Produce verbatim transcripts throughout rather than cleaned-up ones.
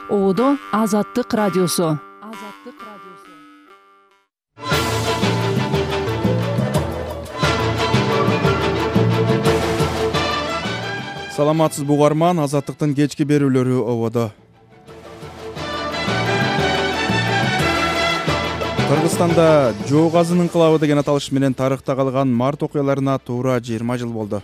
Оодо Азаттык радиосу. Саламатсыз бугарман, Азаттыктын кечки берүүлөрү ободо. Кыргызстанда Жоо газын инкылабы деген аталыш менен тарыхта калган март окуяларына туура жыйырма жыл болду.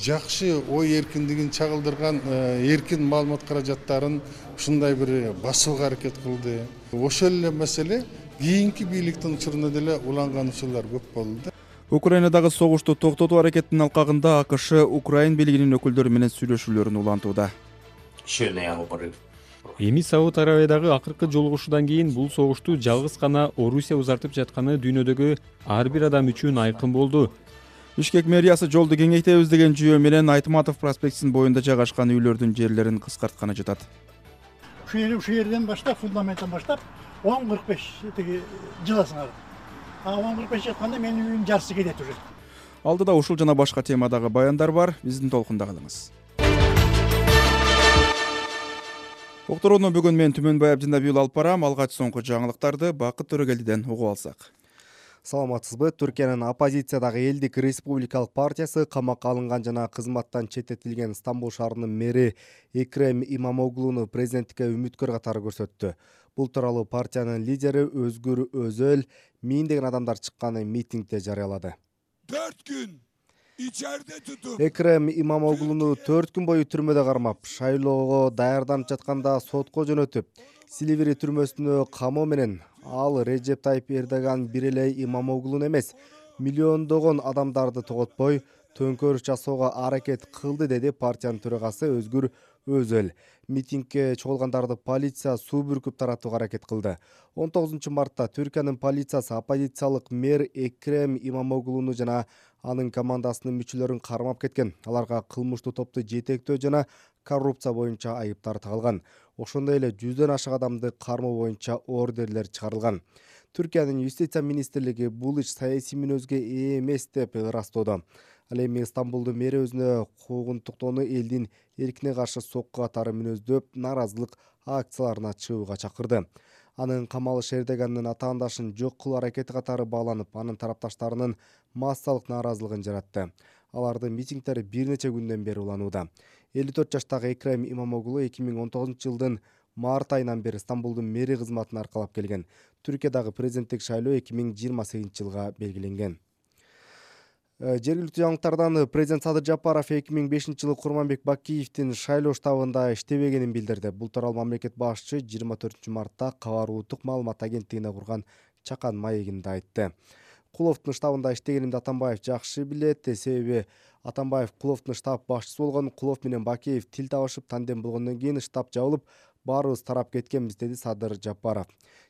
Жакшы ой эркиндигин чагылдырган эркин маалымат каражаттарын ушундай бир басууга аракет кылды. Ошол эле маселе кийинки бийликтин учурунда деле уланган учурлар көп болду. Украинадагы согушту токтотуу аракетинин алкагында АКШ Украин бийлигинин өкүлдөрү менен сүйлөшүүлөрүн улантууда. Эми Сауд Арабиядагы акыркы жолугушуудан кийин бул согушту жалгыз гана Орусия узартып жатканы дүйнөдөгү ар бир адам үчүн айкын болду. Бишкек мэриясы жолду кеңейтебиз деген жүйө менен Айтматов проспектисинин боюнда жайгашкан үйлөрдүн жерлерин кыскартканы жатат. Ушу жер ушу жерден баштап, фундаменттен баштап он кырк беш тиги жыласыңар. А он кырк беш жатканда менин үйүм жарысы кетет уже. Алдыда ушул жана башка темадагы баяндар бар. Биздин толкунда калыңыз. Уктурууну бүгүн мен Түмөнбай Абдинабиул алып барам. Алгач соңку жаңылыктарды Бакыт Төрөгелдиден угуп алсак. Саламатсызбы? Түркиянын оппозициядагы Элдик Республикалык партиясы камакка алынган жана кызматтан четтетилген Стамбул шаарынын мэри Экрем Имамоглууну президенттикке үмүткөр катары көрсөттү. Бул тууралуу партиянын лидери Өзгүр Өзөл миңдеген адамдар чыккан митингде жарыялады. төрт күн ичерide тутуп Экрем Имамоглууну төрт күн бою түрмөдө кармап, шайлоого даярданып жатканда сотко жөнөтүп, Силивери түрмөсүнө камоо менен ал Режеп Тайип Эрдоган бир эле Имамоглууну эмес, миллиондогон адамдарды тоготпой төңкөрүш жасоого аракет кылды, деди партиянын төрагасы Өзгүр Өзөл. Митингге чогулгандарды полиция суу бүркүп таратууга аракет кылды. он тогузунчу мартта Түркиянын полициясы оппозициялык мэр Экрем Имамоглууну жана анын командасынын мүчөлөрүн кармап кеткен. Аларга кылмыштуу топту жетектөө жана коррупция боюнча айыптар тагылган. Ошондой эле жүздөн ашык адамды кармоо боюнча ордерлер чыгарылган. Түркиянын юстиция министрлиги бул иш саясий мүнөзгө ээ эмес деп ырастоодо. Ал эми Стамбулдун мэри өзүнө куугунтуктоону элдин эркине каршы сокку катары мүнөздөп, нааразылык акцияларына чыгууга чакырды. Анын камалыш Эрдогандын атаандашын жок кылуу аракети катары бааланып, анын тарапташтарынын массалык нааразылыгын жаратты. Алардын митингдери бир нече күндөн бери уланууда. элүү төрт жаштагы Экрем Имамоглуу эки миң он тогузунчу жылдын март айынан бери Стамбулдун мэри кызматын аркалап келген. Түркиядагы президенттик шайлоо эки миң жыйырма сегизинчи жылга белгиленген. Жергиликтүү жаңылыктардан президент Садыр Жапаров эки миң бешинчи жылы Курманбек Бакиевдин шайлоо штабында иштебегенин билдирди. Бул тууралуу мамлекет башчы жыйырма төртүнчү мартта Кабар улуттук маалымат агенттигине курган чакан маегинде айтты. Куловдун штабында иштегенимди Атамбаев жакшы билет, себеби Атамбаев Куловдун штаб башчысы болгон. Кулов менен Бакиев тил табышып, тандем болгондон кийин штаб жабылып, баарыбыз тарап кеткенбиз, деди Садыр Жапаров.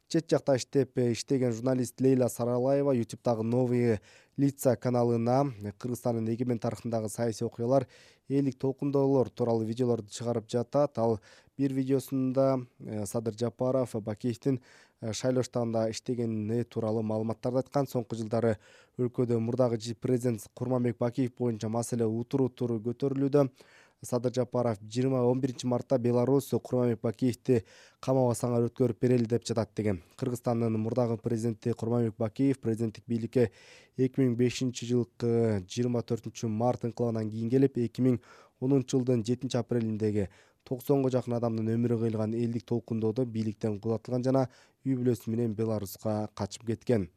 Чет жакта иштеп иштеген журналист Лейла Саралаева ютубтагы Новые лица каналына Кыргызстандын эгемен тарыхындагы саясий окуялар, элдик толкундоолор тууралуу видеолорду чыгарып жатат. Ал бир видеосунда Садыр Жапаров Бакиевдин шайлоо штабында иштегени тууралуу маалыматтарды айткан. Соңку жылдары өлкөдө мурдагы президент Курманбек Бакиев боюнча маселе утуру туру көтөрүлүүдө. Садыр Жапаров жыйырма он биринчи мартта Беларусь Курманбек Бакиевди камоого саңар өткөрүп берели деп жатат деген. Кыргызстандын мурдагы президенти Курманбек Бакиев президенттик бийликке эки миң бешинчи жылкы жыйырма төртүнчү март инкылабынан кийин келип, эки миң онунчу жылдын жетинчи апрелиндеги токсонго жакын адамдын өмүрү кыйылган элдик толкундоодо бийликтен кудатылган жана үй бүлөсү менен Беларуска качып кеткен.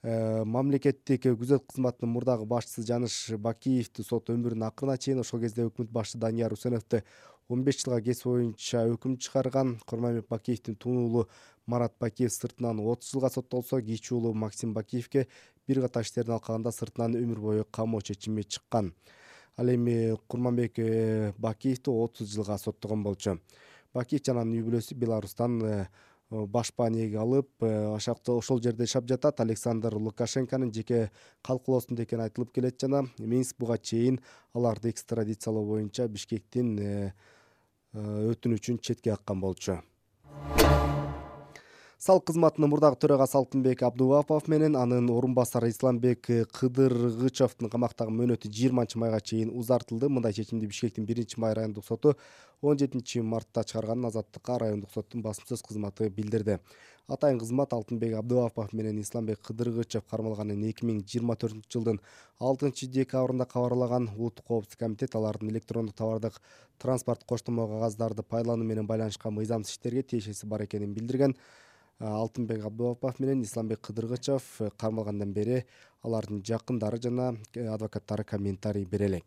Мамлекеттик күзөт кызматынын мурдагы башчысы Жаныш Бакиевди сот өмүрүнүн акырына чейин, ошол кезде өкмөт башчысы Данияр Усеновду он беш жылга кесип боюнча өкүм чыгарган. Курманбек Бакиевдин тууну уулу Марат Бакиев сыртынан отуз жылга соттолсо, кичүү уулу Максим Бакиевке бир катар иштердин алкагында сыртынан өмүр бою камоо чечими чыккан. Ал эми Курманбек Бакиевди отуз жылга соттогон болчу. Бакиев жана анын үй бүлөсү Беларустан башпа нээге алып, ашакта ошол жерде жашап жатат. Александр Лукашенконун жеке калкулоосунда экени айтылып келет жана Минск буга чейин аларды экстрадициялоо боюнча Бишкектин өтүнүчүн четке каккан болчу. Салык кызматынын мурдагы төрагасы Алтынбек Абдувапов менен анын орун басары Исламбек Кыдыргычовдун камактагы мөөнөтү жыйырманчы майга чейин узартылды. Мындай чечимди Бишкектин биринчи май райондук соту он жетинчи мартта чыгарганын Азаттыкка райондук соттун басым сөз кызматы билдирди. Атайын кызмат Алтынбек Абдувапов менен Исламбек Кыдыргычов кармалганын эки миң жыйырма төртүнчү жылдын алтынчы декабрында кабарлаган. Улуттук коопсуздук комитет алардын электрондук товардык транспорт коштомо кагаздарды пайдалануу менен байланышкан мыйзамсыз иштерге тиешеси бар экенин билдирген. Алтынбек Абдувапов менен Исламбек Кыдыргычов кармалгандан бери алардын жакындары жана адвокаттары комментарий бере элек.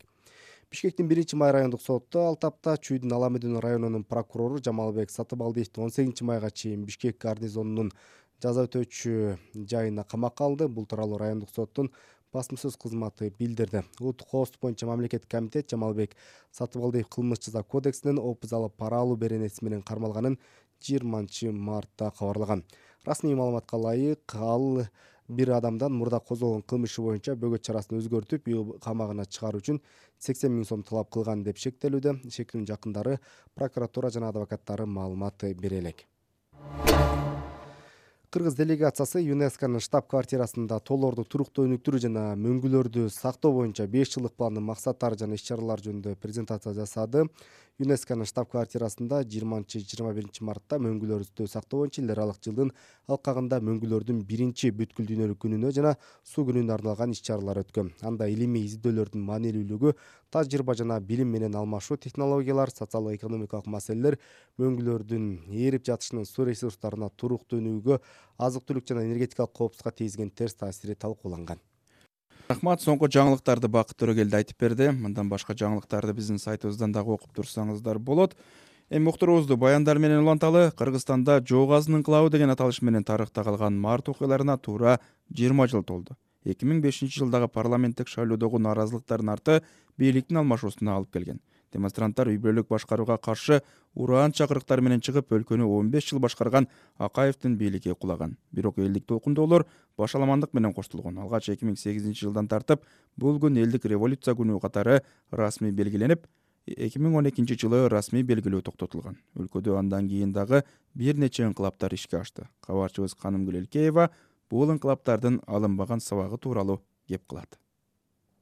Бишкектин биринчи май райондук соту ал тапта Чүйдүн Аламедин районунун прокурору Жамалбек Сатыбалдиевди он сегизинчи майга чейин Бишкек гарнизонунун жаза өтөөчү жайына камакка алды. Бул тууралуу райондук соттун басым сөз кызматы билдирди. Улуттук коопсуздук боюнча мамлекеттик комитет Жамалбек Сатыбалдиев кылмыш жаза кодексинин опуз алып пара алуу беренеси менен кармалганын жыйырманчы мартта кабарлаган. Расмий маалыматка ылайык, ал бир адамдан мурда козголгон кылмышы боюнча бөгөт чарасын өзгөртүп, үй камагына чыгаруу үчүн сексен миң сом талап кылган деп шектелүүдө. Шектүүнүн жакындары, прокуратура жана адвокаттары маалымат бере элек. Кыргыз делегациясы ЮНЕСКОнун штаб-квартирасында тоолорду туруктуу өнүктүрүү жана мөңгүлөрдү сактоо боюнча беш жылдык пландын максаттары жана иш-чаралар жөнүндө презентация жасады. ЮНЕСКОнун штаб-квартирасында жыйырманчы жыйырма биринчи мартта мөңгүлөрдү сактоо боюнча эл аралык жылдын алкагында мөңгүлөрдүн биринчи бүткүл дүйнөлүк күнүнө жана суу күнүнө арналган иш-чаралар өткөн. Анда илимий изилдөөлөрдүн маанилүүлүгү, тажрыйба жана билим менен алмашуу, технологиялар, социалдык-экономикалык маселелер, мөңгүлөрдүн ээрип жатышынын суу ресурстарына туруктуу өнүгүүгө, азык-түлүк жана энергетикалык коопсуздукка тийгизген терс таасири талкууланган. Рахмат, соңку жаңылыктарды Бакыт Төрөгелди айтып берди. Мындан башка жаңылыктарды биздин сайтыбыздан дагы окуп турсаңыздар болот. Эми муктурубузду баяндар менен уланталы. Кыргызстанда Жоо газынын инкылабы деген аталыш менен тарыхта калган март окуяларына туура жыйырма жыл толду. эки миң бешинчи жылдагы парламенттик шайлоодогу нааразылыктардын арты бийликтин алмашуусуна алып келген. Демонстранттар үй бүлөлүк башкарууга каршы ураан чакырыктар менен чыгып, өлкөнү он беш жыл башкарган Акаевдин бийлиги кулаган. Бирок элдик толкундоолор башаламандык менен коштолгон. Алгач эки миң сегизинчи жылдан тартып бул күн элдик революция күнү катары расмий белгиленип, эки миң он экинчи жылы расмий белгилөө токтотулган. Өлкөдө андан кийин дагы бир нече инкылаптар ишке ашты. Кабарчыбыз Канымгүл Элкеева бул инкылаптардын алынбаган сабагы тууралуу кеп кылат.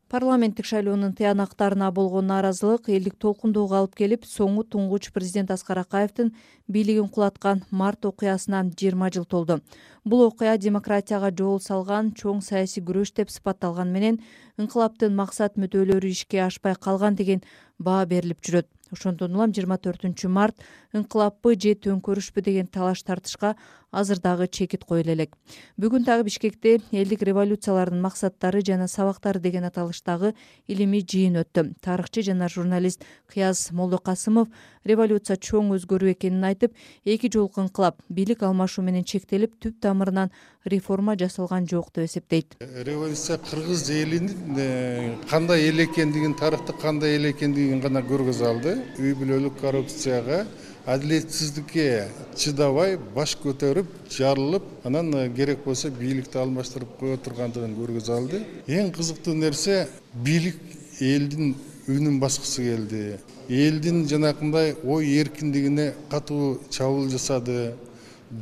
Парламенттик шайлоонун тыянактарына болгон нааразылык элдик толкундоого алып келип, соңу туңгуч президент Аскар Акаевдин бийлигин кулаткан март окуясынан жыйырма жыл толду. Бул окуя демократияга жол салган чоң саясий күрөш деп сыпатталган менен инкылаптын максат мүдөлөрү ишке ашпай калган деген баа берилип жүрөт. Ошондон улам жыйырма төртүнчү март инкылаппы же төңкөрүшпү деген талаш тартышка азыр дагы чекит коюла элек. Бүгүн дагы Бишкекте элдик революциялардын максаттары жана сабактары деген аталыштагы илимий жыйын өттү. Тарыхчы жана журналист Кыяз Молдокасымов революция чоң өзгөрүү экенин айтып, эки жолку инкылап бийлик алмашуу менен чектелип, түп тамырынан реформа жасалган жок деп эсептейт. Революция кыргыз элинин кандай эл экендигин, тарыхты кандай эл экендигин гана көргөзө алды. Үй бүлөлүк коррупцияга, адилетсиздикке чыдабай баш көтөрүп, жарылып, анан керек болсо бийликти алмаштырып кое тургандыгын көргөзө алды. Эң кызыктуу нерсе, бийлик элдин үнүн баскысы келди. Элдин жанакындай ой эркиндигине катуу чабуул жасады.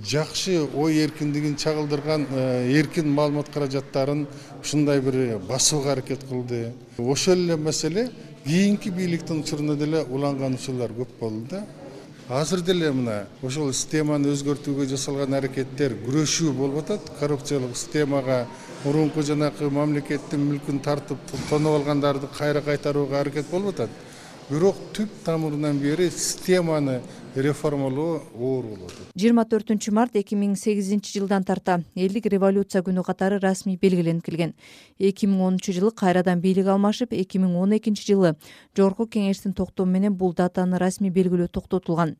Жакшы ой эркиндигин чагылдырган эркин маалымат каражаттарын ушундай бир басууга аракет кылды. Ошол эле маселе кийинки бийликтин учурунда деле уланган учурлар көп болду да. Азыр деле мына ошол системаны өзгөртүүгө жасалган аракеттер күрөшүү болуп атат. Коррупциялык системага мурунку жанакы мамлекеттин мүлкүн тартып тоноп алгандарды кайра кайтарууга аракет болуп атат. Бирок түп тамырынан бери системаны реформалоо оор болот. жыйырма төртүнчү март эки миң сегизинчи жылдан тарта элдик революция күнү катары расмий белгиленип келген. эки миң онунчу жылы кайрадан бийлик алмашып, эки миң он экинчи жылы Жогорку Кеңештин токтому менен бул датаны расмий белгилөө токтотулган.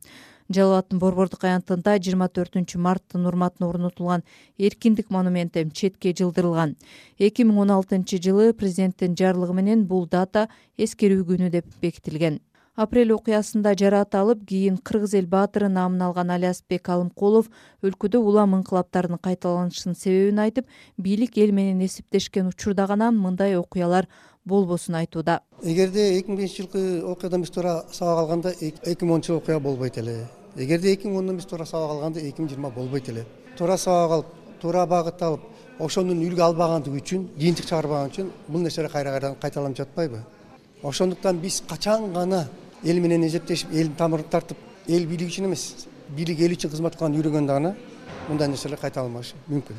Жалал абаддын Борбордук аянтында жыйырма төртүнчү марттын урматына орнотулган эркиндик монументи четке жылдырылган. эки миң он алтынчы жылы президенттин жарлыгы менен бул дата эскерүү күнү деп бекитилген. Апрель окуясында жараат алып, кийин Кыргыз эл баатыры наамын алган Алиасбек Алымкулов өлкөдө улам инкылаптардын кайталанышынын себебин айтып, бийлик эл менен эсептешкен учурда гана мындай окуялар болбосун айтууда. Эгерде эки миң бешинчи жылкы окуядан биз туура сабак алганда эки миң онунчу окуя болбойт эле. Эгерде эки миң ондон биз туура сабак алганда эки миң жыйырма болбойт эле. туура сабак алып, туура багыт алып, ошонун үлгү албагандыгы үчүн, жыйынтык чыгарбаган үчүн бул нерселер кайра кайрадан кайталанып жатпайбы? Ошондуктан биз качан гана эл менен эзептешип, элдин тамырын тартып, эл бийлиги үчүн эмес, бийлик эл үчүн кызмат кылган үйрөнгөндө гана мындай нерселер кайталанбашы мүмкүн.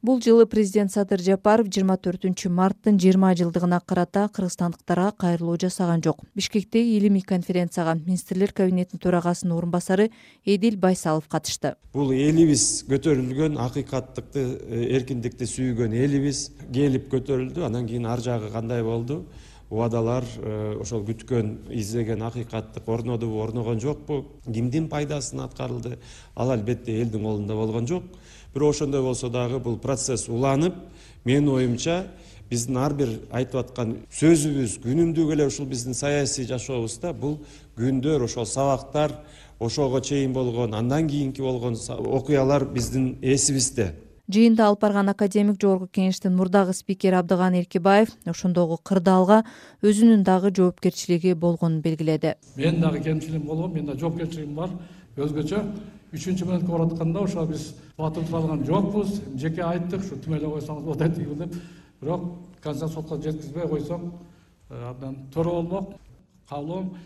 Бул жылы президент Садыр Жапаров жыйырма төртүнчү марттын жыйырма жылдыгына карата кыргызстандыктарга кайрылуу жасаган жок. Бишкектеги илимий конференцияга министрлер кабинетинин төрагасынын орун басары Эдил Байсалов катышты. Бул элибиз көтөрүлгөн, акыйкаттыкты, эркиндикти сүйгөн элибиз келип көтөрүлдү. Анан кийин ар жагы кандай болду? Убадалар ошол күткөн, издеген акыйкаттык орнодубу, орногон жокпу? Кимдин пайдасына аткарылды? Ал албетте элдин колунда болгон жок. Бирок ошондой болсо дагы бул процесс уланып, менин оюмча биздин ар бир айтып аткан сөзүбүз күнүмдүк эле ушул биздин саясий жашообузда бул күндөр, ошол сабактар, ошого чейин болгон, андан кийинки болгон окуялар биздин эсибизде. Жыйында алып барган академик жогорку кеңештин мурдагы спикери Абдыган Эркебаев ошондогу кырдаалга өзүнүн дагы жоопкерчилиги болгонун белгиледи. Мен дагы кемчилигим болгон, мен да жоопкерчилигим бар. Өзгөчө үчүнчү мүнөткө баратканда ошо биз батып тура алган жокпуз. Жеке айттык, ушу түмөлөп койсоңуз болот дейт деп. Бирок консенсуска жеткизбей койсоң, абдан туура болмок. Каалоом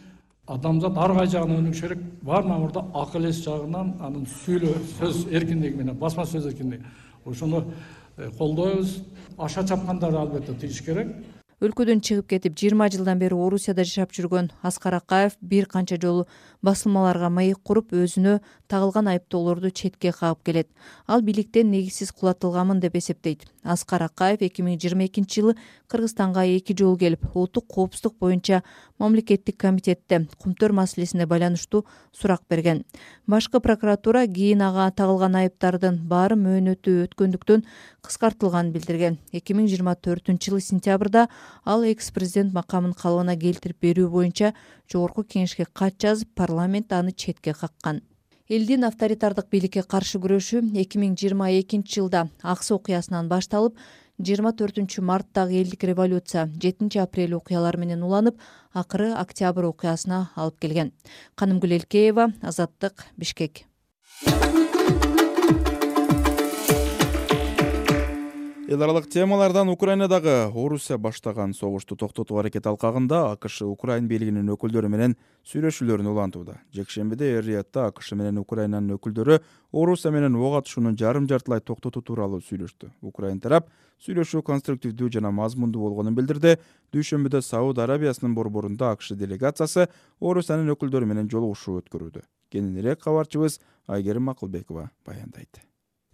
адамзат ар кай жагынан өнүгүш керек. Бар мамурда акыл эс жагынан, анын сүйлөө сөз эркиндиги менен, басма сөз эркиндиги. Ошону колдойбуз. Аша чапкандар албетте тийиш керек. Өлкөдөн чыгып кетип жыйырма жылдан бери Орусияда жашап жүргөн Аскар Акаев бир канча жолу басылмаларга маек куруп, өзүнө тагылган айыптоолорду четке кагып келет. Ал бийликтен негизсиз кулатылганмын деп эсептейт. Аскар Акаев эки миң жыйырма экинчи жылы Кыргызстанга эки жолу келип, улуттук коопсуздук боюнча мамлекеттик комитетте кумтөр маселесине байланыштуу сурак берген. Башкы прокуратура кийин ага тагылган айыптардын баары мөөнөтү өткөндүктөн кыскартылганын билдирген. эки миң жыйырма төртүнчү жылы сентябрда ал экс-президент макамын калыбына келтирип берүү боюнча жогорку кеңешке кат жазып, парламент аны четке каккан. Элдин авторитардык бийликке каршы күрөшү эки миң жыйырма экинчи жылда Аксы окуясынан башталып, жыйырма төртүнчү марттагы элдик революция жетинчи апрель окуялары менен уланып, акыры октябрь окуясына алып келген. Канымгүл Элкеева, Азаттык, Бишкек. Эл аралык темалардан Украинадагы Орусия баштаган согушту токтотуу аракети алкагында АКШ Украин бийлигинин өкүлдөрү менен сүйлөшүүлөрүн улантууда. Жекшембиде Эр-Риядда АКШ менен Украинанын өкүлдөрү Орусия менен ок атышуунун жарым жартылай токтотуу тууралуу сүйлөштү. Украин тарап сүйлөшүү конструктивдүү жана мазмундуу болгонун билдирди. Дүйшөмбүдө Сауд Арабиясынын борборунда АКШ делегациясы Орусиянын өкүлдөрү менен жолугушуу өткөрүүдө. Кененирээк кабарчыбыз Айгерим Акылбекова баяндайт.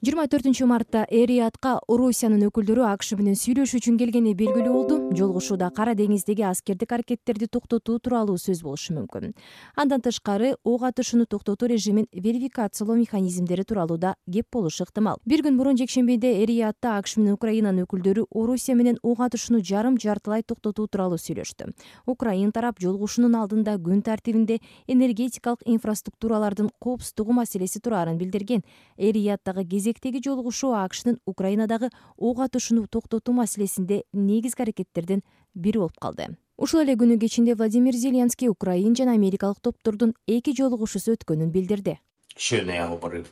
жыйырма төртүнчү мартта Эр-Риядка Орусиянын өкүлдөрү АКШ менен сүйлөшүү үчүн келгени белгилүү болду. Жолугушууда Кара деңиздеги аскердик аракеттерди токтотуу тууралуу сөз болушу мүмкүн. Андан тышкары ок атышууну токтотуу режимин верификациялоо механизмдери тууралуу да кеп болушу ыктымал. Бир күн мурун жекшембиде Эр-Риядда АКШ менен Украинанын өкүлдөрү Орусия менен ок атышууну жарым жартылай токтотуу тууралуу сүйлөштү. Украин тарап жолугушуунун алдында күн тартибинде энергетикалык инфраструктуралардын коопсуздугу маселеси тураарын билдирген. Эр-Рияддагы кезек Теги жолугушуу АКШнын Украинадагы ок атышууну токтотуу маселесинде негизги аракеттердин бири болуп калды. Ушул эле күнү кечинде Владимир Зеленский Украин жана америкалык топтордун эки жолугушуусу өткөнүн билдирди. Щойно я говорив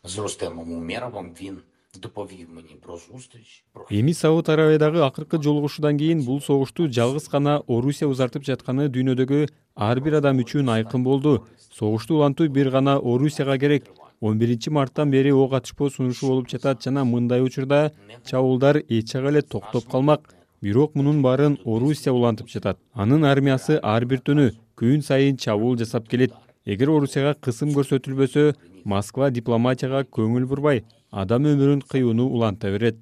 з Рустемом Умеровым, він доповів мені про зустріч. Эми Сауд Арабиядагы акыркы жолугушуудан кийин бул согушту жалгыз гана Орусия узартып жатканы дүйнөдөгү ар бир адам үчүн айкын болду. Согушту улантуу бир гана Орусияга керек. он биринчи марттан бери ок атышпоо сунушу болуп жатат жана мындай учурда чабуулдар эч жака эле токтоп калмак. Бирок мунун баарын Орусия улантып жатат. Анын армиясы ар бир түнү күн сайын чабуул жасап келет. Эгер Орусияга кысым көрсөтүлбөсө, Москва дипломатияга көңүл бурбай, адам өмүрүн кыюуну уланта берет.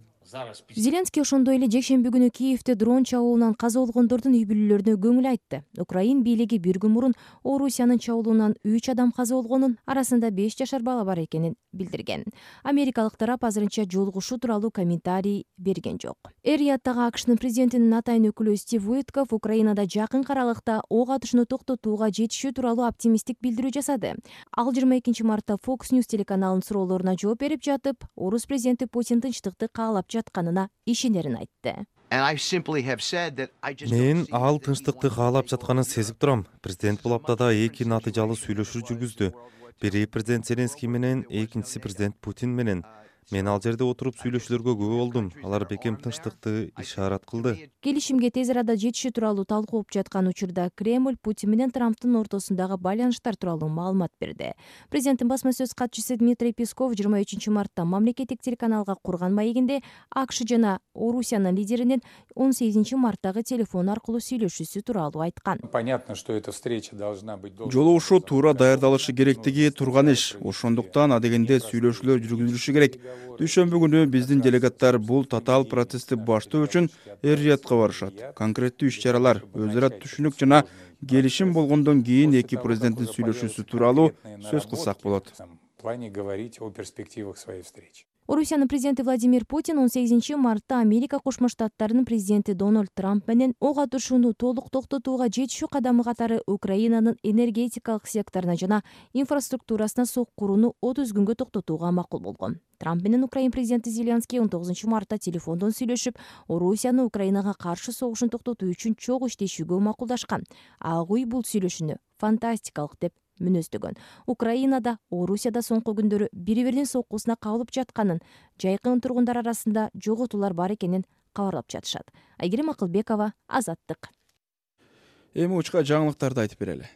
Зеленский ошондой эле жекшемби күнү Киевде дрон чабуулунан каза болгондордун үй бүлөлөрүнө көңүл айтты. Украин бийлиги бир күн мурун Орусиянын чабуулунан үч адам каза болгонун, арасында беш жашар бала бар экенин билдирген. Америкалык тарап азырынча жолугушуу тууралуу комментарий берген жок. Эр-Рияддагы АКШнын президентинин атайын өкүлү Стив Уитков Украинада жакын аралыкта ок атышууну токтотууга жетишүү тууралуу оптимисттик билдирүү жасады. Ал жыйырма экинчи мартта Fox News телеканалынын суроолоруна жооп берип жатып, Орус президенти Путин тынчтыкты каалап жатканына ишенерин айтты. Мен ал тынчтыкты каалап жатканын сезип турам. Президент бул аптада эки натыйжалуу сүйлөшүү жүргүздү. Бири президент Зеленский менен, экинчиси президент Путин менен. Мен ал жерде отуруп сүйлөшүүлөргө күбө болдум. Алар бекем тынчтыкты ишарат кылды. Келишимге тез арада жетишүү тууралуу талкуулуп жаткан учурда Кремль Путин менен Трамптын ортосундагы байланыштар тууралуу маалымат берди. Президенттин басма сөз катчысы Дмитрий Песков жыйырма үчүнчү мартта мамлекеттик телеканалга курган маегинде АКШ жана Орусиянын лидеринин он сегизинчи марттагы телефон аркылуу сүйлөшүүсү тууралуу айткан. Понятно, что эта встреча должна быть. Жолугушуу туура даярдалышы керектиги турган иш. Ошондуктан адегенде сүйлөшүүлөр жүргүзүлүшү керек. Дүйшөмбү күнү биздин делегаттар бул татаал процессти баштоо үчүн Эр-Риядка барышат. Конкреттүү иш-чаралар, өз ара түшүнүк жана келишим болгондон кийин эки президенттин сүйлөшүүсү тууралуу сөз кылсак болот. В плане говорить о перспективах своей встречи. Орусиянын президенти Владимир Путин он сегизинчи мартта Америка Кошмо Штаттарынын президенти Дональд Трамп менен ок атышууну толук токтотууга жетишүү кадамы катары Украинанын энергетикалык секторуна жана инфраструктурасына соккурууну отуз күнгө токтотууга макул болгон. Трамп менен Украин президенти Зеленский он тогузунчу мартта телефондон сүйлөшүп, Орусияны Украинага каршы согушун токтотуу үчүн чогуу иштешүүгө макулдашкан. Ак үй бул сүйлөшүүнү фантастикалык деп мүнөздөгөн. Украинада, Орусияда соңку күндөрү бири-биринин соккусуна кабылып жатканын, жайкын тургундар арасында жоготуулар бар экенин кабарлап жатышат. Айгерим Акылбекова, Азаттык. Эми учка жаңылыктарды айтып берели.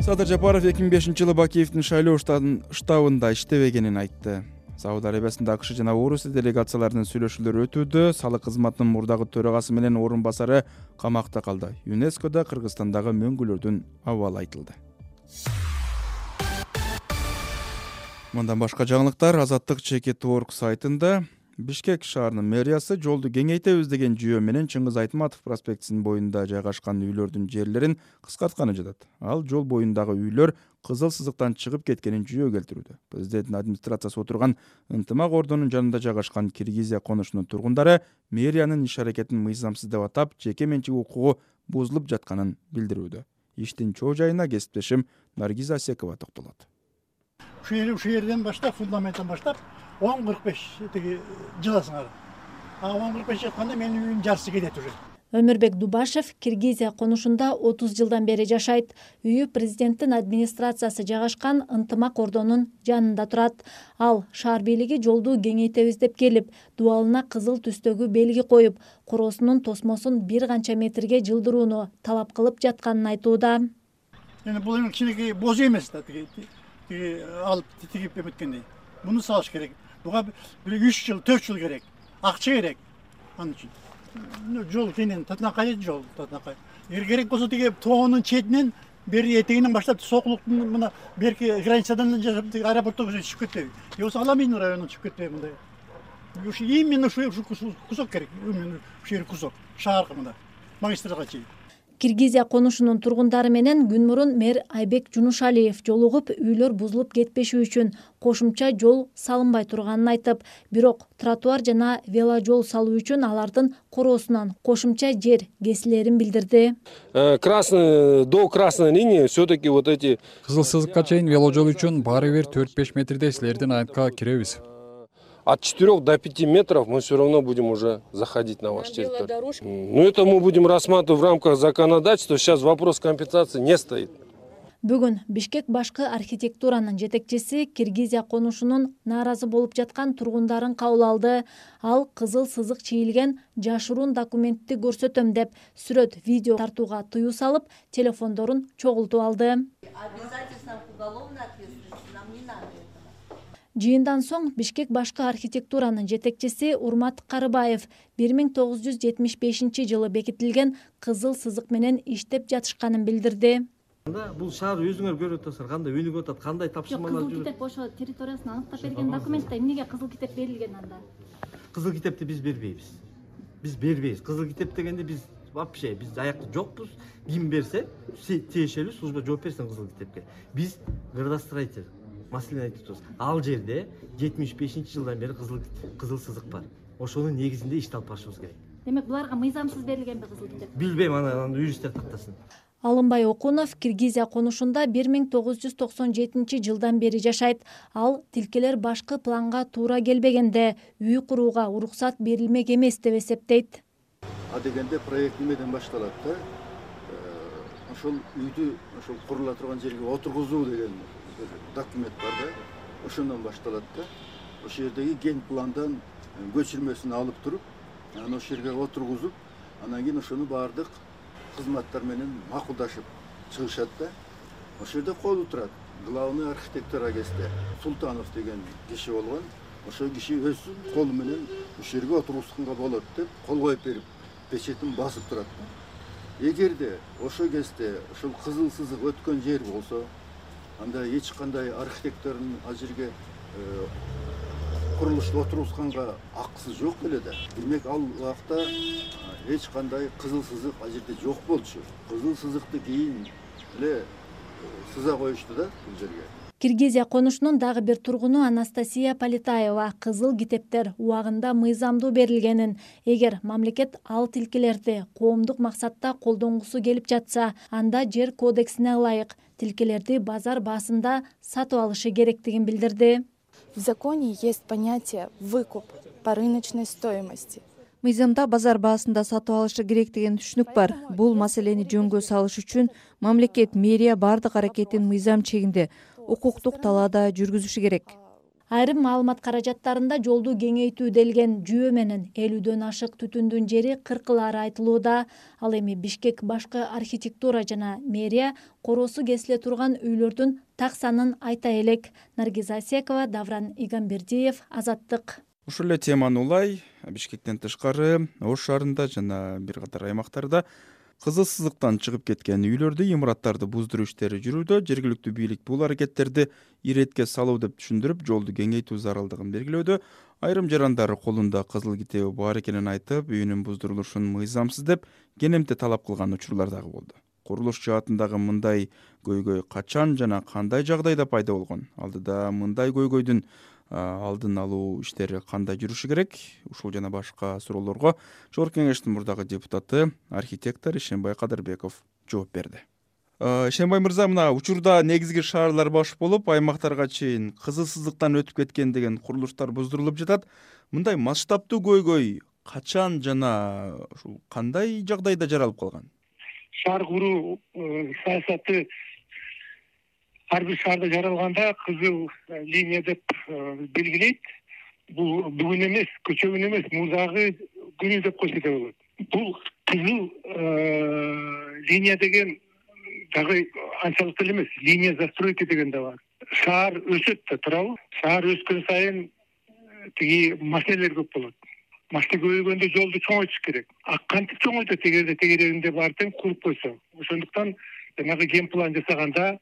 Садыр Жапаров эки миң бешинчи жылы Бакиевдин шайлоо штабында иштебегенин айтты. Сауд Арабиясында АКШ жана Орусия делегацияларынын сүйлөшүүлөрү өтүүдө. Салык кызматынын мурдагы төрагасы менен орун басары камакта калды. ЮНЕСКОда Кыргызстандагы мөңгүлөрдүн абалы айтылды. Мындан башка жаңылыктар Азаттык Чекет Орг сайтында. Бишкек шаарынын мэриясы жолду кеңейтебиз деген жүйө менен Чыңгыз Айтматов проспектисинин боюнда жайгашкан үйлөрдүн жерлерин кыскартканы жатат. Ал жол боюндагы үйлөр кызыл сызыктан чыгып кеткенин жүйө келтирүүдө. Президенттин администрациясы отурган Ынтымак ордонун жанында жайгашкан Киргизия конушунун тургундары мэриянын иш аракетин мыйзамсыз деп атап, жеке менчик укугу бузулуп жатканын билдирүүдө. Иштин чоо жайына кесиптешим Наргиза Асекова токтолот. Ушул жерден баштап, фундаменттен баштап он кырк беш тиги жыласыңар. А он кырк беш жатканда менин үйүм жарысы кетет уже. Өмүрбек Дубашев Киргизия конушунда отуз жылдан бери жашайт. Үйү президенттин администрациясы жайгашкан Ынтымак ордонун жанында турат. Ал шаар бийлиги жолду кеңейтебиз деп келип, дуалына кызыл түстөгү белги коюп, короосунун тосмосун бир канча метрге жылдырууну талап кылып жатканын айтууда. Эми бул эми кичинекей боз эмес да, тиги тиги алып тигип эметкендей. Буну салыш керек. Буга бир үч жыл, төрт жыл керек. Акча керек. Анын үчүн жол кенен татынакай жол татынакай. Эгер керек болсо тиги тоонун четинен бери этегинен баштап сокулуктун мына берки границадан жашап аэропорттого чыгып кетпейби. Же болсо Аламин районуна чыгып кетпейби мындай. Ушу именно ушу кусок керек. Именно ушу жер кусок. Шаарга мында. Магистралга чейин. Киргизия конушунун тургундары менен күн мурун мэр Айбек Жунушалиев жолугуп, үйлөр бузулуп кетпеши үчүн кошумча жол салынбай турганын айтып, бирок тротуар жана веложол салуу үчүн алардын короосунан кошумча жер кесилерин билдирди. Красный до красной линии все-таки вот эти кызыл сызыкка чейин веложол үчүн баары бир төрт-беш метрдей силердин айытка киребиз. От четырёх до пяти метров мы все равно будем уже заходить на вашу территорию. Ну это мы будем рассматривать в рамках законодательства. Сейчас вопрос компенсации не стоит. Бүгүн Бишкек башкы архитектуранын жетекчиси Киргизия конушунун нааразы болуп жаткан тургундарын кабыл алды. Ал кызыл сызык чийилген жашыруун документти көрсөтөм деп сүрөт видео тартууга тыюу салып, телефондорун чогултуп алды. Жыйындан соң Бишкек башкы архитектуранын жетекчиси Урмат Карыбаев бир миң тогуз жүз жетимиш бешинчи жылы бекитилген кызыл сызык менен иштеп жатышканын билдирди. Бул шаар өзүңөр көрүп атасыздар, кандай өнүгүп атат, кандай тапшырмалар жүрөт. Кызыл китеп ошо территориясын аныктап берген документте эмнеге кызыл китеп берилген анда? Кызыл китепти биз бербейбиз. Биз бербейбиз. Кызыл китеп дегенде биз вообще биз аякта жокпуз. Ким берсе, тиешелүү служба жооп берсин кызыл китепке. Биз градостроитель маселени айтып турабыз. Ал жерде жетимиш бешинчи жылдан бери кызыл кызыл сызык бар. Ошонун негизинде ишти алып барышыбыз керек. Демек буларга мыйзамсыз берилгенби кызыл китеп? Билбейм, аны юристтер тактасын. Алымбай Окунов Киргизия конушунда бир миң тогуз жүз токсон жетинчи жылдан бери жашайт. Ал тилкелер башкы планга туура келбегенде үй курууга уруксат берилмек эмес деп эсептейт. А дегенде проект немеден башталат да? Ошол үйдү ошол курула турган жерге отургузуу деген документ бар да, ошондон башталат да. ошол жердеги ген пландан көчүрмөсүн алып туруп, анан ошол жерге отургузуп, анан кийин ошону баардык кызматтар менен макулдашып чыгышат да. Ошол жерде колу турат. Главный архитектор агесте Султанов деген киши болгон. Ошол киши өз колу менен ушул жерге отургузганга болот деп кол коюп берип, печетин басып турат. Эгерде ошол кезде ошол кызыл сызык өткөн жер болсо, анда эч кандай архитектордун ал жерге курулушту отургузганга акысы жок эле да. Демек ал убакта эч кандай кызыл сызык ал жерде жок болчу. Кызыл сызыкты кийин эле сыза коюшту да бул жерге. Киргизия конушунун дагы бир тургуну Анастасия Политаева кызыл китептер убагында мыйзамдуу берилгенин, эгер мамлекет ал тилкелерди коомдук максатта колдонгусу келип жатса, анда жер кодексине ылайык тилкелерди базар баасында сатып алышы керектигин билдирди. В законе есть понятие «выкуп» по рыночной стоимости. Мыйзамда базар баасында сатып алышы керек деген түшүнүк бар. Бул маселени жөнгө салыш үчүн мамлекет, мэрия бардык аракетин мыйзам чегинде укуктук талаада жүргүзүшү керек. Айрым маалымат каражаттарында жолду кеңейтүү делген жүйө менен элүүдөн ашык түтүндүн жери кыркылары айтылууда. Ал эми Бишкек башкы архитектура жана мэрия коросу кесиле турган үйлөрдүн так санын айта элек. Наргиз Асекова, Давран Игамбердиев, Азаттык. Ушул эле теманы улай Бишкектен тышкары Ош шаарында жана бир катар аймактарда кызыл сызыктан чыгып кеткен үйлөрдү, имараттарды буздуруу иштери жүрүүдө. Жергиликтүү бийлик бул аракеттерди иретке салуу деп түшүндүрүп, жолду кеңейтүү зарылдыгын белгилөөдө. Айрым жарандар колунда кызыл китеби бар экенин айтып, үйүнүн буздурулушун мыйзамсыз деп кенемте талап кылган учурлар дагы болду. Курулуш жаатындагы мындай көйгөй качан жана кандай жагдайда пайда болгон? Алдыда мындай көйгөйдүн алдын алуу иштери кандай жүрүшү керек? Ушул жана башка суроолорго Жогорку Кеңештин мурдагы депутаты, архитектор Ишенбай Кадырбеков жооп берди. Ишенбай мырза, мына учурда негизги шаарлар баш болуп, аймактарга чейин кызыл сызыктан өтүп кеткен деген курулуштар буздурулуп жатат. Мындай масштабтуу көйгөй качан жана ушул кандай жагдайда жаралып калган? Шаар куруу саясаты ар бир шаарда жаралганда кызыл линия деп белгилейт. Бул бүгүн эмес, көчөгүн эмес, мурдагы күнү деп койсо да болот. Бул кызыл линия деген дагы анчалык эле эмес, линия застройки деген да бар. Шаар өсөт да, туурабы? Шаар өскөн сайын тиги маселелер көп болот. Машина көбөйгөндө жолду чоңойтуш керек. А кантип чоңойтот эгерде тегерегинде бар тең куруп койсо? Ошондуктан жанагы ген план жасаганда,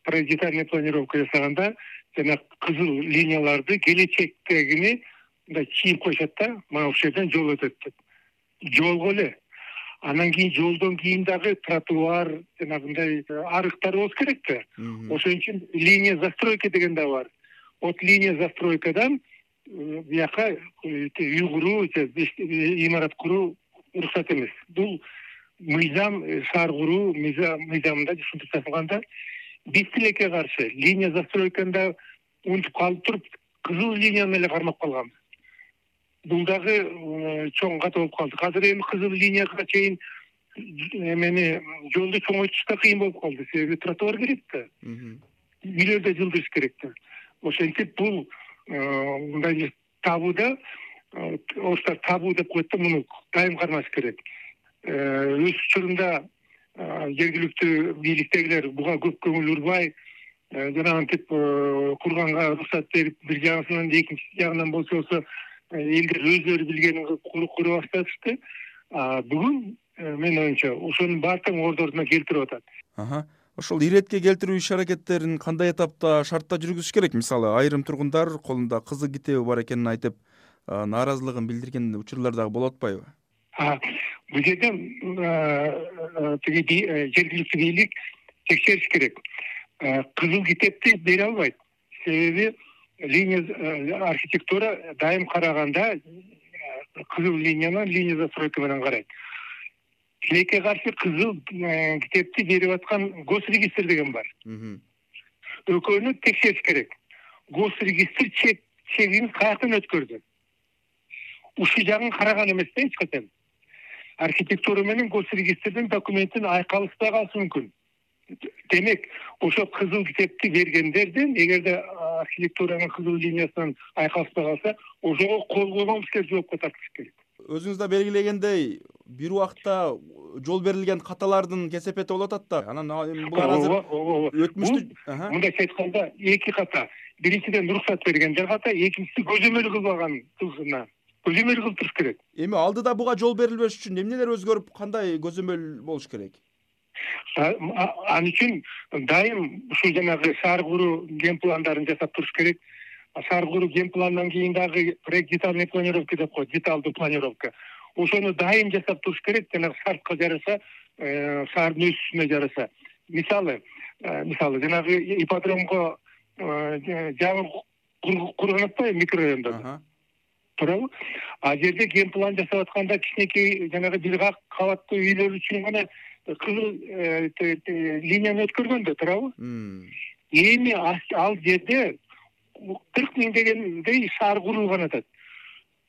детальный планировка жасаганда жана кызыл линияларды келечектегини мындай чийип коюшат да, мына ушул жерден жол өтөт деп. Жолго эле. Анан кийин жолдон кийин дагы тротуар жанагындай арыктар болуш керек да. Ошон үчүн линия застройка деген да бар. Вот линия застройкадан бияка үй куруу, имарат куруу уруксат эмес. Бул мыйзам, шаар куруу мыйзамында ушинтип жазылганда, биз тилекке каршы линия застройканда унутуп калып туруп, кызыл линияны эле кармап калганбыз. Бул дагы чоң ката болуп калды. Азыр эми кызыл линияга чейин эмени жолду чоңойтуш да кыйын болуп калды. Себеби тротуар керек да. Үйлөрдө жылдырыш керек да. Ошентип бул мындай табууда, оштар табуу деп коет да, муну дайым кармаш керек. Өз учурунда жергиликтүү бийликтегилер буга көп көңүл урбай, жанагынтип курганга уруксат берип, бир жагынан экинчи жагынан болсо болсо элдер өздөрү билгенин кура башташты. Бүгүн менин оюмча ошонун баардыгын ордордуна келтирип атат. Ошол иретке келтирүү иш аракеттерин кандай этапта, шартта жүргүзүш керек? Мисалы, айрым тургундар колунда кызыл китеби бар экенин айтып, нааразылыгын билдирген учурлар дагы болуп атпайбы? Бул жерде тиги жергиликтүү бийлик текшериш керек. Кызыл китепти бере албайт. Себеби линия архитектура дайым караганда кызыл линияны линия застройка менен карайт. Тилекке каршы кызыл китепти берип аткан госрегистр деген бар. Экөөнү текшериш керек. Госрегистр чегин каяктан өткөрдү? Ушул жагын караган эмес да эч качан. Архитектура менен госрегистрдин документин айкалышпай калышы мүмкүн. демек ошо кызыл китепти бергендерден эгерде архитектуранын кызыл линиясынан айкалышпай калса ошого кол койгон кишилер жоопко тартылыш керек. Өзүңүз да белгилегендей бир убакта жол берилген каталардын кесепети болуп атат да. Анан булар азыр өтмүштү мындайча айтканда эки ката. Биринчиден уруксат бергендер ката, экинчиси көзөмөл кылбаган кылсына. Көзөмөл кылып туруш керек. Эми алдыда буга жол берилбеш үчүн эмнелер өзгөрүп, кандай көзөмөл болуш керек? Ал үчүн дайым ушул жанагы шаар куруу ген пландарын жасап туруш керек. Шаар куруу ген пландан кийин дагы проект детальный планировка деп коет, деталдуу планировка. Ошону дайым жасап туруш керек, жанагы шартка жараша, шаардын өсүшүнө жараша. Мисалы, мисалы жанагы ипподромго жаңы курган атпайбы микрорайондо. Туурабы? А жерде ген план жасап атканда кичинекей жанагы бир кабаттуу үйлөр үчүн гана кызыл линияны өткөргөн да, туурабы? Эми ал жерде кырк миң дегендей шаар курулган атат.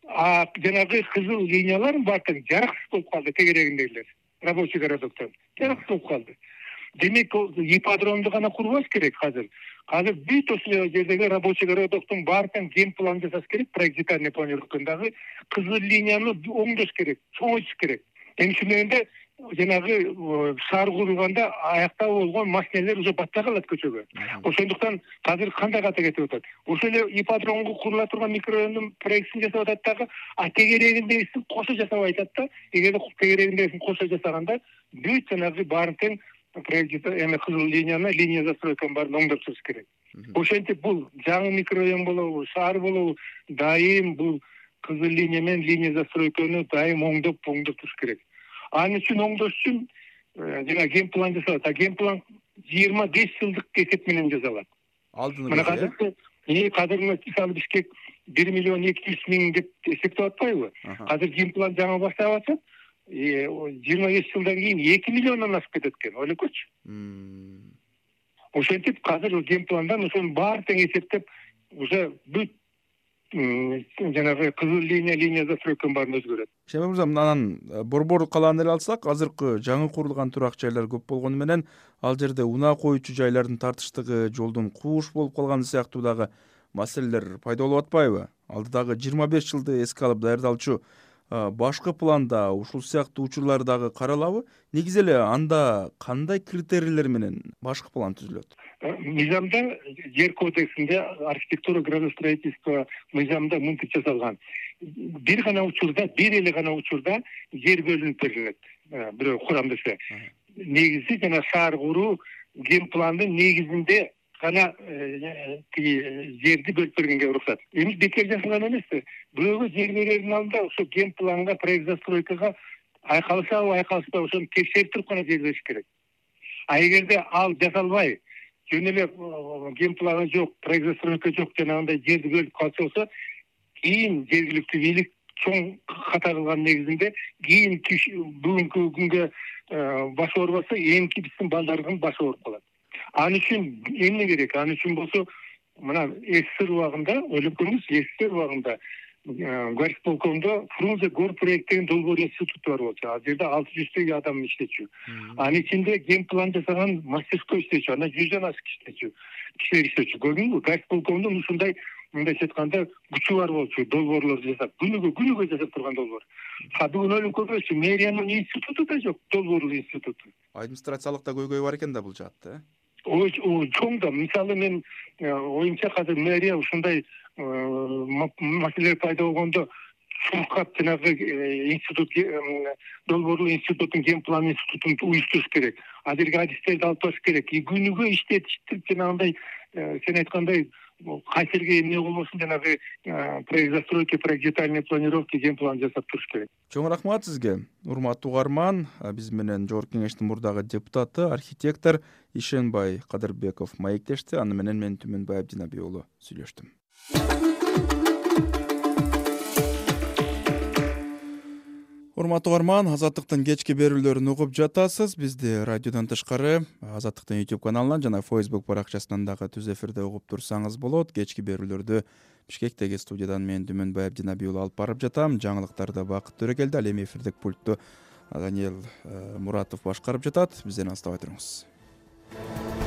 А жанагы кызыл линиялар баардыгы жараксыз болуп калды тегерегиндегилер. Рабочий городоктон жараксыз болуп калды. Демек, ипподромду гана курбаш керек азыр. Азыр бүт ошол жердеги рабочий городоктун баардыгын ген план жасаш керек, проект детальный планировкадагы кызыл линияны оңдош керек, чоңойтуш керек. Эми ушундайда жанагы шаар курулганда аякта болгон машиналер уже батпай калат көчөгө. Ошондуктан азыр кандай ката кетип атат? Ошол эле ипподромго курула турган микрорайондун проектин жасап атат дагы, а тегерегиндегисин кошо жасап айтат да, эгерде тегерегиндегисин кошо жасаганда бүт жанагы баардыгын проект эме кызыл линияны, линия застройканы баарын оңдоп туруш керек. Ошентип бул жаңы микрорайон болобу, шаар болобу, дайым бул кызыл линия менен линия застройканы дайым оңдоп оңдоп туруш керек. Анын үчүн оңдош үчүн жана ген план жасалат. А ген план жыйырма беш жылдык эсеп менен жасалат. Алдын Мына азыр э кадыргы мисалы Бишкек бир миллион эки жүз миң деп эсептеп атпайбы? Азыр ген план жаңы баштап атат. жыйырма беш жылдан кийин эки миллиондон ашып кетет экен, ойлойкучу. Ошентип азыр ген пландан ошонун баардыгын эсептеп уже бүт жанагы кызыл линия, линия застройканын баарын өзгөрөт. Шемер мырза, анан Борбор калааны эле алсак, азыркы жаңы курулган турак жайлар көп болгону менен ал жерде унаа коюучу жайлардын тартыштыгы, жолдун кууш болуп калганы сыяктуу дагы маселелер пайда болуп атпайбы? Алдыдагы жыйырма беш жылды эске алып даярдалчу башкы планда ушул сыяктуу учурлар дагы каралабы? Негизи эле анда кандай критерийлер менен башкы план түзүлөт? Мыйзамда, жер кодексинде, архитектура, градостроительство мыйзамда мынтип жасалган. Бир гана учурда, бир эле гана учурда жер бөлүнүп берилет. Бирөө курамдысы. Негизи жана шаар куруу ген пландын негизинде гана жерди бөлүп бергенге уруксат. Эми бекер жасалган эмес. Бирөөгө жер берердин алдында ошо ген планга, проект застройкага айкалышабы, айкалышпайбы ошону текшерип туруп гана жер бериш керек. А эгерде ал жасалбай, жөн эле ген планы жок, проект застройка жок, жанагындай жерди бөлүп калса болсо, кийин жергиликтүү бийлик чоң ката кылган негизинде кийин бүгүнкү күнгө башы оорубаса, эмки биздин балдардын башы ооруп калат. Ал үчүн эмне керек? Ал үчүн болсо, мына СССР убагында, ойлоп көрүңүз, СССР убагында горисполкомдо Фрунзе гор проект деген долбоор институту бар болчу. Ал жерде алты жүздөй адам иштечү. Анын ичинде ген план жасаган мастерской иштечү, андан жүздөн ашык иштечү. Кишилер иштечү. Көрдүңүзбү? Горисполкомдун ушундай, мындайча айтканда, күчү бар болчу, долбоорлорду жасап, күнүгө күнүгө жасап турган долбоор. А бүгүн ойлоп көрбөйсү, мэриянын институту да жок, долбоорлуу институту. Администрациялык да көйгөй бар экен да бул жаатта, э? Ой, чоң да. Мисалы мен оюмча азыр мэрия ушундай маселелер пайда болгондо чуркап жанагы институт, долбоорлуу институттун ген план институтун уюштуруш керек. Ал жерге адистерди алып барыш керек. Күнүгө иштетиштип жанагындай сен айткандай кайсы жерге эмне болбосун жанагы проект застройки, проект детальный планировки, ген план жасап туруш керек. Чоң рахмат сизге. Урматтуу угарман, биз менен Жогорку Кеңештин мурдагы депутаты, архитектор Ишенбай Кадырбеков маектешти. Аны менен мен Түмөнбай Абдинабий уулу сүйлөштүм. Урматтуу угарман, Азаттыктын кечки берүүлөрүн угуп жатасыз. Бизди радиодон тышкары Азаттыктын YouTube каналынан жана Facebook баракчасынан дагы түз эфирде угуп турсаңыз болот. Кечки берүүлөрдү Бишкектеги студиядан мен Түмөнбай Абдинабий уулу алып барып жатам. Жаңылыктарды Бакыт Төрөгелди, ал эми эфирдик пультту Даниэл Муратов башкарып жатат. Бизден алыстабай туруңуз. болот.